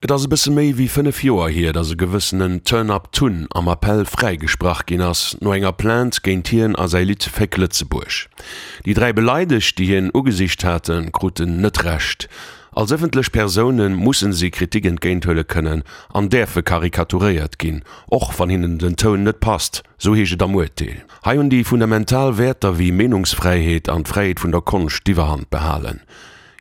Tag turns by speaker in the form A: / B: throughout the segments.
A: Et ass e bësse méi wéi 5 Joer hier, datt e gewëssenen Turn Up Tun am Appell fräigesprach ginn ass, no enger Plainte géint hien a säi Lidd Féck Lëtzebuerg. Déi 3 Beleidegt, déi hien ugesicht haten, kruten net Recht. Als ëffentlech Persoune mussen si Kritik entgéinthuele kënnen an däerfe karikaturéiert ginn, och wann hinnen den Toun net passt, sou heescht et am Urteel. Hei hunn déi fundamental Wäerter wéi Meenungsfräiheet an d'Fräiheet vun der Konscht d'Iwwerhand behalen.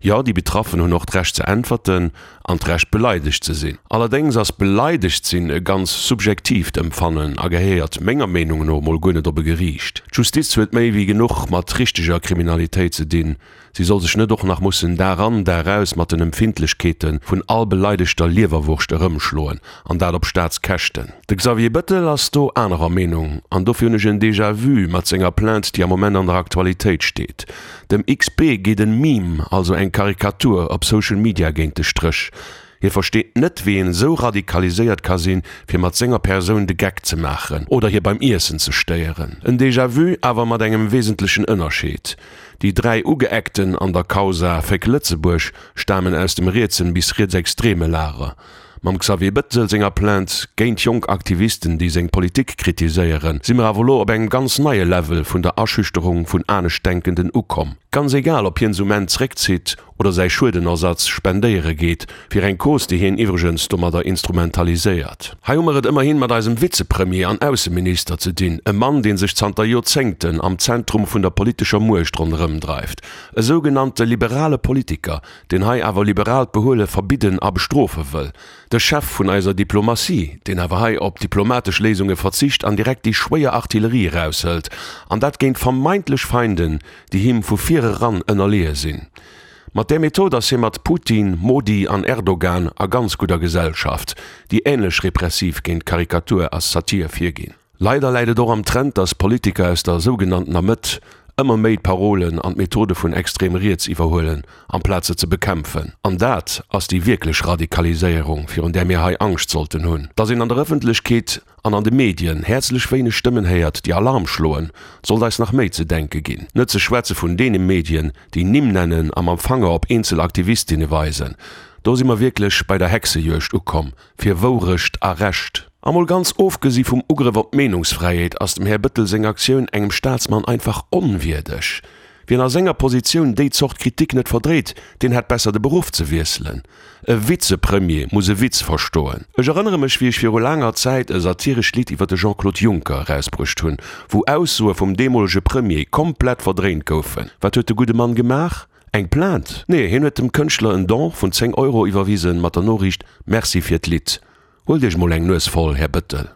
A: Jo, déi Betraffen hunn och d'Recht ze äntwerten an d'Recht beleidegt ze sinn. Allerdéngs ass beleidegt sinn e ganz subjektiivt Empfannen a gehéiert menger Meenung no mol guer net op e Geriicht. D'Justiz huet méi wéi genuch mat richteger Kriminalitéit ze dinn. Si soll sech net och nach mussen Dag an, Dag aus mat den Empfindlechkeete vun all beleidegter Liewerwurscht erëmschloen, an dat op Staatskäschten. De Xavier Bëttel ass do anerer Meenung, an dofir hunn ech en Déjà-vu mat senger Plainte, déi am Moment an der Aktualitéit steet. Dem XP geet en Meme, also eng Karikatur, op Social Media géint de Stréch. Hie versteet net, wéi een esou radikaliséiert ka sinn, fir mat senger Persoun de Geck ze maachen oder hie beim Iessen ze stéieren. En Déjà-vu, awer mat engem wesentlechen Ënnerscheed, Déi 3 Ugeeckten an der Causa Féck Lëtzebuerg stamen aus dem rietsen bis rietsextreme Lager. Mam Xavier Bettel senger Plainte géint jonk Aktivisten, déi seng Politik kritiséieren, si mer awer elo op engem ganz neie Level vun der Aschüchterung vun Aneschtdenkenden ukomm. Ganz egal, ob hien se um Enn zréckzitt oder säi Schuedenersatz spendéiere geet, fir eng Cause, déi hien iwwregens domadder instrumentaliséiert. Hei hu mer et ëmmerhin mat eisem Vizepremier an Ausseminister ze dinn, e Mann, dee sech zanter Joerzéngten am Zentrum vun der politescher Muecht ronderëmdreift, e sougenannte liberale Politiker, deen hei awer liberaalt Behuele verbidden a bestrofe wëll, de Chef vun eiser Diplomatie, deen awer hei op diplomatesch Léisunge verzicht an direkt déi schwéier Artillerie eraushëlt, an dat géint vermeintlech Feinden, déi him vu vir eran ënnerleeë sinn. Mat där Method ass hie mat Putin, Modi an Erdogan a ganz gudder Gesellschaft, déi änlech repressiv géint Karikatur a Satir virginn. Leider läit et och am Trend, datt Politiker aus der sougenanntener Mëtt ëmmer méi d'Parolen an d'Methode vun extrem riets iwwerhuelen, amplaz se ze bekämpfen. An dat ass déi wierklech Radikaliséierung, virun där mir hei Angscht sollten hunn. Datt een an der Ëffentlechkeet an an de Medien häerzlech wéineg Stëmmen héiert, déi Alarm schloen, sollt eis nach méi ze denke ginn. Net ze schwätze vun deene Medien, déi Nimm nennen a mam Fanger op eenzel Aktivistinne weisen. Do si mer wierklech bei der Hexejuegd ukomm, fir Wourecht a Recht. A mol ganz ofgesi vum Ugrëff op d'Meenungsfräiheet ass dem Här Bëttel seng Aktioun engem Staatsmann einfach onwierdeg. Wien a senger Positioun déi Zort Kritik net verdréit, deen hätt besser de Beruff ze wiesselen. E Vizepremier muss e Witz verstoen. Ech erënnere mech wéi ech viru laanger Zäit e satirescht Lidd iwwer de Jean-Claude Juncker erausbruecht hunn, wou Aussoe vum deemolege Premier komplett verdréint goufen. Wat huet de gudde Mann gemaach? Eng Plainte? Nee, hien huet dem Kënschtler en Don vun 10 Euro iwwerwisen mat der Noriicht Merci fir d'Lidd. Huelt Iech mol eng Nues voll, Här Bëttel.